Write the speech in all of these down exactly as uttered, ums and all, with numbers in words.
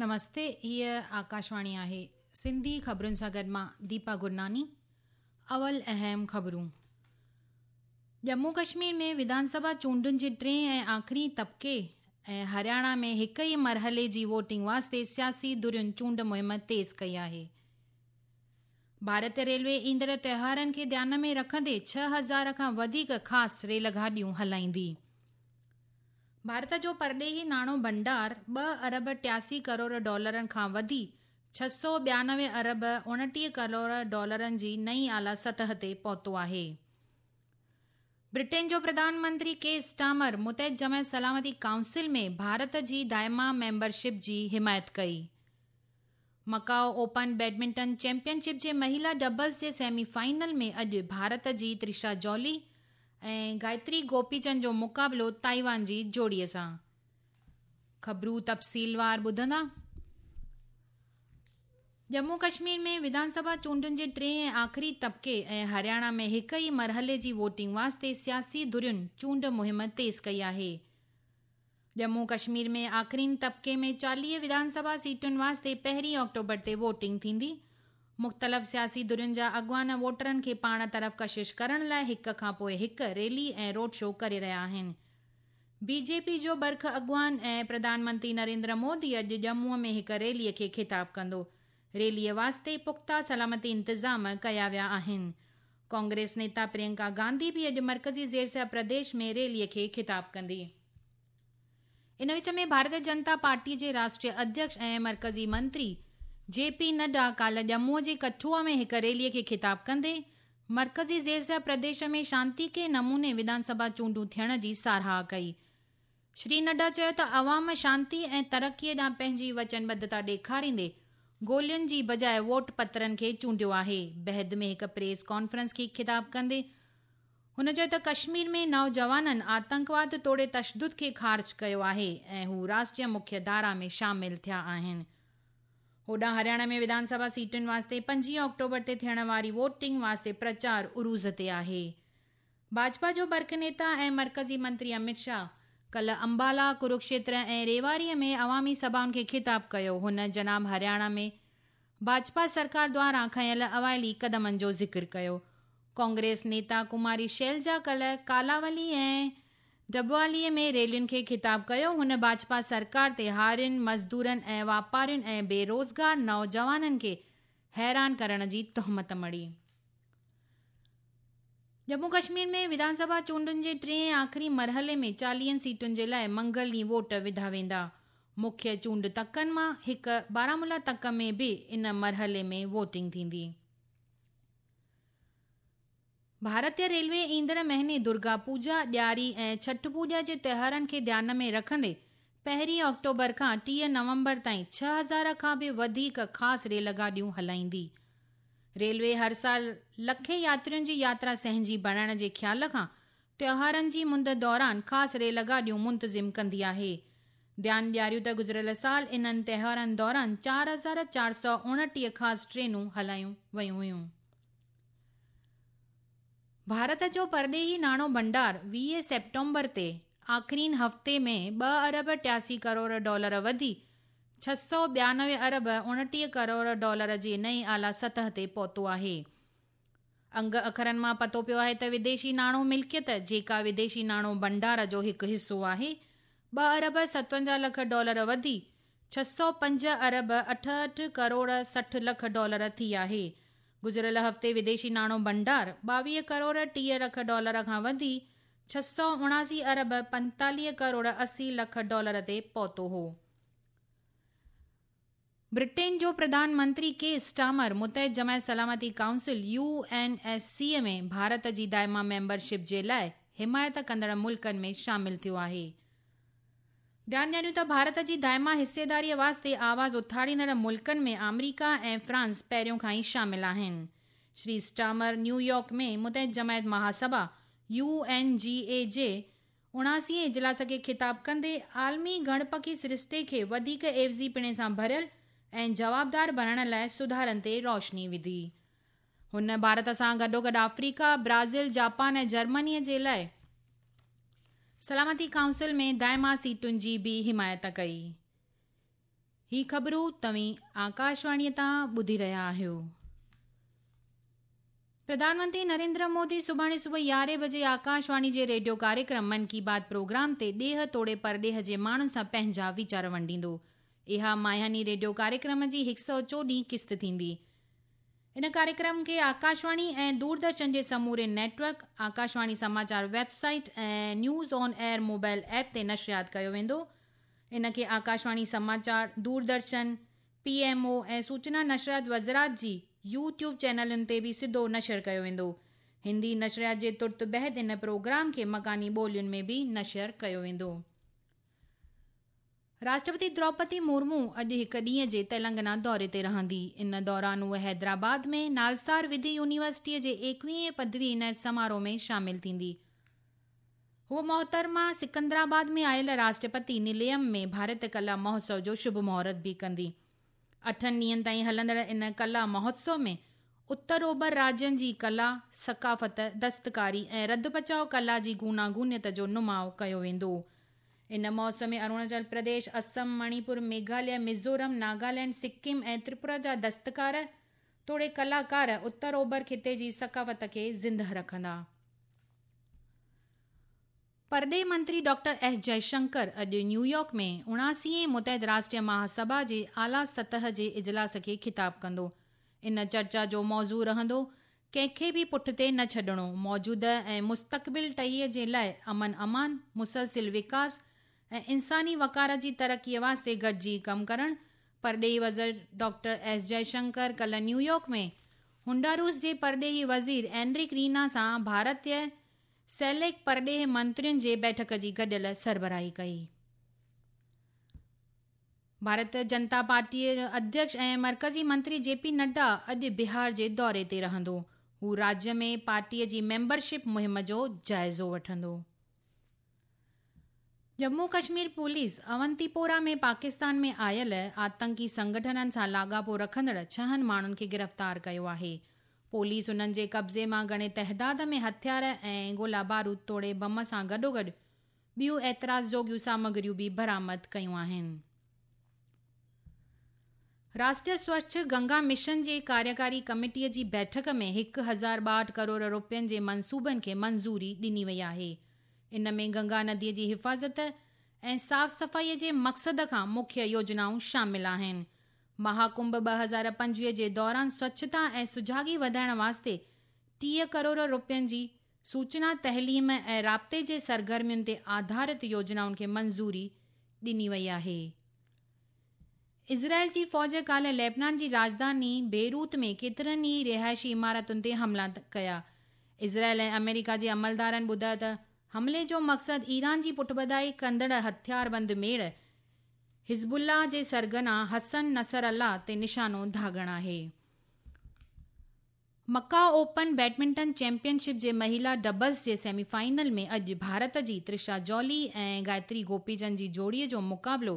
نمستي، هيءَ آڪاشواڻي آهي. سنڌي خبرن سان گڏ مان ديپا گرناني. اول اهم خبرون. ڄمون ڪشمير ۾ وڌان سڀا چونڊن جي ٽئين ۽ آخري طبقي ۽ هرياڻا ۾ هڪ ئي مرحلي جي ووٽنگ واسطي سياسي ڌرين چونڊ مهم تيز ڪئي آهي. ڀارتيه ريلوي ايندڙ تهوارن کي ڌيان ۾ رکندي ڇهه هزار کان وڌيڪ خاص ريل گاڏيون هلائيندي. ڀارت جو پرڏيهي ناڻو ڀنڊار ٻه ارب ٽياسي ڪروڙ ڊالرن کان وڌي ڇهه سؤ ٻيانوي ارب اڻٽيهه ڪروڙ ڊالرن جي نئين اعليٰ سطح تي پهتو آهي. برٽين جو پرڌان منتري ڪي اسٽامر متحده جماعت سلامتي ڪائونسل ۾ ڀارت جي دائما ميمبرشپ جي حمايت ڪئي. Macau open badminton champion ship جي مهلا ڊبلز جي سيمي فائنل ۾ اڄ ڀارت جي ترشا جولي ۽ گايتري گوپيچند جو مقابلو تائيوان جي جوڙيءَ سان. خبرون تفصيلوار ٻڌندا. ڄمون ڪشمير ۾ وڌان سڀا چونڊن جي ٽئين ۽ آخري طبقي ۽ هرياڻا ۾ هڪ ئي مرحلي جي ووٽنگ واسطي سياسي ڌرين چونڊ مهم تيز ڪئي آهي. ڄمون ڪشمير ۾ آخرين طبقي ۾ چاليهه وڌان سڀا سيٽن واسطي پهرين آڪٽوبر تي ووٽنگ ٿيندي. مختلف سياسي ڌرين جا اڳواڻ ووٽرن کي پاڻ طرف ڪشش ڪرڻ لاءِ هڪ کان پوءِ هڪ ريلي ۽ روڊ شو ڪري رهيا آهن. بي جي پي جو برک اڳواڻ ۽ پرڌان منتري نريندر مودي اڄ ڄمونءَ ۾ هڪ ريليءَ کي خطاب ڪندو. ريليءَ واسطي پختا سلامتي انتظام ڪيا ويا آهن. ڪانگريس نيتا پريانڪا گانڌي به اڄ مرڪزي زيرسيا پرديش ۾ ريليءَ کي خطاب ڪندي. ان وچ ۾ ڀارتيه جنتا پارٽي جي راشٽريه اڌيڪش ۽ مرڪزي منتري جي پي نڊا ڪالهه ڄمونءَ جي ڪٺوا ۾ هڪ ريليءَ کي خطاب ڪندي مرڪزي زيرسيا پرديش ۾ شانتيڪي نموني وڌان سڀا چونڊون ٿيڻ جي ساراهه ڪئي. شري نڊا چيو ته عوام شانتي ۽ ترقيءَ ڏانهن پنهنجي وچنبڌتا ڏيکاريندي گولين جي بجاءِ ووٽ پترن کي چونڊيو آهي. بعد ۾ هڪ پريس ڪانفرنس کي خطاب ڪندي هن چيو ته ڪشمير ۾ نوجوانن آتنڪواد توڙي تشدد کي خارج ڪيو آهي ۽ هو راشٽريه مکيه ڌارا ۾ شامل ٿيا آهن. هوڏانهن هرياڻا ۾ وڌان سڀا سيٽن واسطي پنجويهه آڪٽوبر تي ٿيڻ واري ووٽنگ واسطي پرچار عروج تي آهي. ڀاجپا جو برک نيتا ۽ مرڪزي منتري امت شاهه ڪالهه امبالا، ڪروڪشيتر ۽ ريواريءَ ۾ عوامي سڀائن کي خطاب ڪيو. هن جناب هرياڻا ۾ ڀاجپا سرڪار دواران کنيل اوائلي قدمن جو ذڪر ڪيو. ڪانگريس نيتا ڪماري شيلجا ڪالهه ڪالاولي ۽ ڊبواليءَ ۾ ريلين کي خطاب ڪيو. هن ڀاجپا سرڪار تي هارين، مزدورن ۽ واپارين ۽ بيروزگار نوجوانن کي حيران ڪرڻ جي تهمت مڙهي. ڄمون ڪشمير ۾ وڌان سڀا چونڊن جي ٽئين ۽ آخري مرحلي ۾ چاليهن سيٽن جي لاءِ منگل ڏينهن ووٽ وڌا ويندا. مکيه چونڊ تڪن مان هڪ بارامولا تڪ ۾ به ان مرحلي ۾ ووٽنگ ٿيندي. ڀارتيه ريلوي ايندڙ مهيني درگا پوڄا، ڏياري ۽ ڇٺ پوڄا جي تهوارن کي ڌيان ۾ رکندي پهرين آڪٽوبر کان ٽيهه نومبر تائين ڇهه هزار کان به وڌيڪ خاص ريل گاڏيون هلائيندي. ريلوي هر سال لکين ياترين جي ياترا سهنجي بڻائڻ جي خيال کان تهوارن جي مند دوران خاص ريل گاڏيون منتظم ڪندي آهي. ڌيان ڏياريون ته گذريل سال انهن تهوارن دوران چار هزار چار سؤ اڻٽيهه خاص ٽرينون هلايون ويون هيون. ڀارت جو پرڏيهي ناڻو ڀنڊار ويهه سيپٽمبر تي آخرين هفتي ۾ ٻه ارب ٽياسي ڪروڙ ڊالر وڌي ڇهه سؤ ٻيانوي ارب اڻٽيهه ڪروڙ ڊالر جي نئين اعليٰ سطح تي پهتو آهي. انگ اکرن مان پتو پيو آهي ته وديشي ناڻو ملڪيت، جيڪا وديشي ناڻو ڀنڊار جو هڪ حصو آهي، ٻه ارب ستونجاهه لک ڊالر وڌي ڇهه سؤ پنج ارب اٺهٺ ڪروڙ سٺ لک ڊالر ٿي آهي. گذريل هفتي وديشي ناڻو ڀنڊار ٻاويهه ڪروڙ ٽيهه لک ڊالر کان وڌي ڇهه سؤ اڻاسي ارب پنتاليهه ڪروڙ اسي لک ڊالر تي پهتو هو. برٽين جو پرڌان منتري ڪي اسٽامر متحده جماعت سلامتي council U N S C ۾ Bharat جي دائما ميمبرشپ جي لاءِ حمايت ڪندڙ ملڪن ۾ شامل ٿيو آهي. ڌيان ڏياريون ته ڀارت جي دائما حصيداريءَ واسطي آواز اٿاريندڙ ملڪن ۾ آمريڪا ۽ فرانس پهريون کان ئي شامل آهن. شري اسٽامر نيويارڪ ۾ متحده جماعت مهاسڀا يو اين جي اي جي اڻاسي اجلاس کي خطاب ڪندي عالمي گڻپکي سرشتي کي وڌيڪ عيوضي پڻي سان ڀريل ۽ جوابدار بڻائڻ لاءِ سڌارن تي روشني وڌي. هن ڀارت سان گڏوگڏ آفريڪا، برازيل، جاپان ۽ جرمنيءَ جي لاءِ سلامتي ڪائونسل ۾ دائما سيٽن جي به حمايت ڪئي. هي خبرون توهين آڪاشواڻيءَ تان ٻڌي رهيا آهيو. پرڌان منتري نريندر مودي سڀاڻي صبح يارهين بجي آڪاشواڻي جي ريڊيو ڪاريڪرم من ڪي بات پروگرام تي ڏيهه توڙي پرڏيهه جي ماڻهن سان پنهنجا ويچار ونڊيندو. اها ماهياني ريڊيو ڪاريڪرم جي هڪ سؤ چوڏهين قسط ٿيندي. ان ڪاريڪرم کي آڪاشواڻي ۽ دوردرشن جي سموري net work, Akashvani Samachar website ۽ news on air mobile app تي نشريات ڪيو ويندو. ان کي آڪاشواڻي سماچار، دوردرشن، پي ايم او ۽ سوچنا نشريات وزارت جي يوٽيوب چينلن تي به سڌو نشر ڪيو ويندو. هندي نشريات جي ترت بعد ان پروگرام کي مڪاني ٻولين ۾ به نشر ڪيو ويندو. راشٽرپتي دروپدي مرمو اڄ هڪ ڏينهن جي تيلنگانا دوري تي رهندي. ان دوران هوءَ حيدرآباد ۾ نالسار وڌي يونيورسٽيءَ جي ايڪويهين پدوي عنايت سماروهه ۾ شامل ٿيندي. هوءَ محترمه سڪندرآباد ۾ آيل راشٽرپتي نليم ۾ ڀارت ڪلا مهوتسو جو شڀ مهورت به ڪندي. اٺن ڏينهن تائين هلندڙ ان ڪلا مهوتسو ۾ اتر اوڀر راجين جي ڪلا، ثقافت، دستڪاري ۽ رڌ پچاءُ ڪلا جي گوناگونيت جو نماءُ ڪيو ويندو. ان مهوتسو ۾ اروناچل پرديش، اسم، مڻيپور، ميگهاليه، ميزورم، ناگالينڊ، سڪم ۽ تريپورا جا دستڪار توڙي ڪلاڪار اتر اوڀر خطي جي ثقافت کي زندهه رکندا. پرڏيهه منتري ڊاڪٽر ايس جئشنڪر اڄ نيويارڪ ۾ اڻاسي متحد راشٽريه مهاسڀا جي اعليٰ سطح جي اجلاس کي خطاب ڪندو. ان چرچا جو موضوع رهندو ڪنهن کي به پٺتي نه ڇڏڻو، موجوده ۽ مستقبل ٽهيءَ جي لاءِ امن امان، مسلسل وڪاس ۽ انساني وقار جي ترقيءَ واسطي گڏجي ڪم ڪرڻ. پرڏيهي وزير ڊاڪٽر ايس جئشنڪر ڪالهه نيويارڪ ۾ هنڊاروس جي پرڏيهي وزير اينرڪ رينا سان ڀارتيه سيليڪ پرڏيهه منترين جي بيٺڪ جي گڏيل سربراهي ڪئي. ڀارتيه جنتا پارٽيءَ جو اڌيڪش ۽ مرڪزي منتري جي پي نڊا اڄ بهار جي دوري تي رهندو. هو راجيه ۾ پارٽيءَ جي ميمبرشپ مهم جو جائزو وٺندو. ڄمون ڪشمير پوليس اونتيپورا ۾ پاڪستان ۾ آيل آتنڪي سنگٺنن سان لاڳاپو رکندڙ ڇهن ماڻهن کي گرفتار ڪيو آهي. پوليس انهن جي قبضي مان گهڻي تعداد ۾ هٿيار ۽ گولا بارود توڙي بم سان گڏوگڏ ٻيون اعتراض جوڳيون سامگريون به برآمد ڪيون آهن. راشٽريه سوڇ گنگا مشن جي ڪاريڪاري ڪميٽيءَ جي بيٺڪ ۾ هڪ هزار ٻاهٺ ڪروڙ رپين جي منصوبن کي منظوري ڏني وئي آهي. ان ۾ گنگا نديءَ جي حفاظت ۽ صاف صفائيءَ جي مقصد کان مکيه يوجنائون شامل آهن. مهاڪنڀ ٻه هزار پنجويهه جي دوران سوڇتا ۽ سجاڳي وڌائڻ واسطي ٽيهه ڪروڙ رپين جي سوچنا، تعليم ۽ رابطي جي سرگرمين تي آڌارت يوجنائن کي منظوري ڏني وئي آهي. اسرائيل جي فوج ڪالهه ليبنان جي راڄڌاني بيروت ۾ ڪيترن ئي رهائشي عمارتن تي حملا ڪيا. اسرائيل ۽ آمريڪا جي عملدارن ٻڌايو ته حملي جو مقصد ايران جي پٺڀرائي ڪندڙ هٿياربند ميڙ حزب الله جي سرغنا حسن نصر الله تي نشانو داغڻ آهي. مڪائو اوپن بيڊمنٽن چيمپئن شپ جي مهلا ڊبلز جي سيمي فائنل ۾ اڄ ڀارت جي ترشا جولي ۽ گايتري گوپيچند جي جوڙيءَ جو مقابلو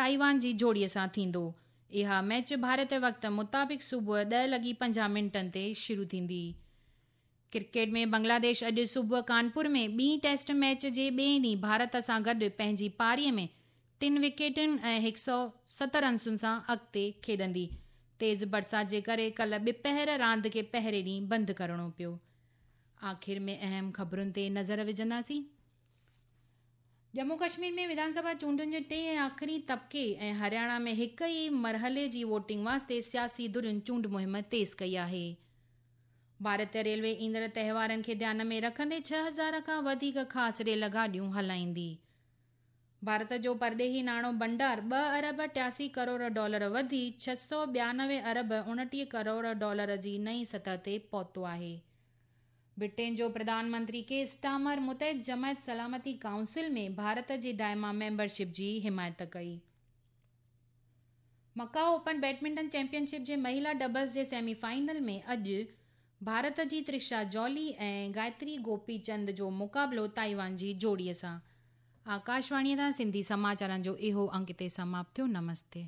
تائيوان جي جوڙيءَ سان ٿيندو. اها ميچ ڀارت وقت مطابق صبح ڏهه لڳي پنجاهه منٽن تي شروع ٿيندي. ڪرڪيٽ ۾ بنگلاديش اڄ صبح ڪانپور ۾ ٻي ٽيسٽ ميچ جي ٻئي ڏينهن ڀارت سان گڏ پنهنجي پاريءَ ۾ ٽن وڪيٽن ۽ هڪ سؤ ست رنسن سان اڳتي کيڏندي. تيز برسات جي ڪري ڪالهه ٻپهر راند کي پهرين ڏينهن بند ڪرڻو پيو. آخر ۾ اهم خبرن تي نظر وجهنداسين. ڄمون ڪشمير ۾ وڌانسڀا چونڊن جي ٽئين ۽ آخري طبقي ۽ هرياڻا ۾ هڪ ئي مرحلي جي ووٽنگ واسطي سياسي ڌرين چونڊ مهم تيز ڪئي آهي. ڀارتيه ريلوي ايندڙ تهوارن کي ڌيان ۾ رکندي ڇهه هزار کان وڌيڪ خاص ريل گاڏيون هلائيندي. ڀارت جو پرڏيهي ناڻو ڀنڊار ٻه ارب ٽياسي ڪروڙ ڊالر وڌي ڇهه سؤ ٻيانوي ارب اڻٽيهه ڪروڙ ڊالر جي نئين سطح تي پهتو آهي. برٽين جو پرڌان منتري ڪي اسٽامر متحد جماعت سلامتي ڪائونسل ۾ ڀارت جي دائما ميمبرشپ جي حمايت ڪئي. مڪائو اوپن بيڊمنٽن چيمپئن شپ جي مهلا ڊبلز جي سيمي فائنل ۾ اڄ ڀارت جي ترشا جولي ۽ گايتري گوپي چند جو مقابلو تائيوان جي جوڙيءَ سان. آڪاشواڻيءَ تان سنڌي سماچارن جو اهو انڪ هتي سماپت ٿيو. نمستي.